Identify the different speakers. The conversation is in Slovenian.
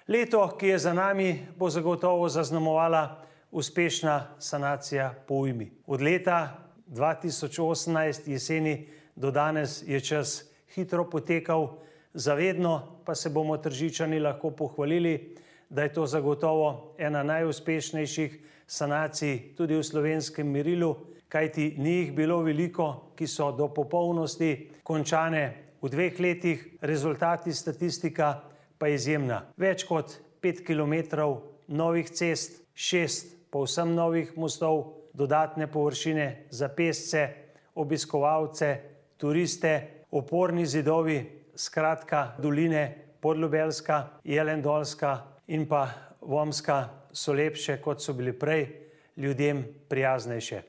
Speaker 1: Leto, ki je za nami, bo zagotovo zaznamovala uspešna sanacija po ujmi. Od leta 2018 jeseni do danes je čas hitro potekal, zavedno pa se bomo Tržičani lahko pohvalili, da je to zagotovo ena najuspešnejših sanacij tudi v slovenskem merilu, kajti ni jih bilo veliko, ki so do popolnosti končane v 2 letih, rezultati statistika pa je izjemna. Več kot 5 kilometrov novih cest, 6 povsem novih mostov, dodatne površine za pešce, obiskovalce, turiste, oporni zidovi, skratka doline Podljubelska, Jelendolska in pa Vomska so lepše, kot so bili prej, ljudem prijaznejše.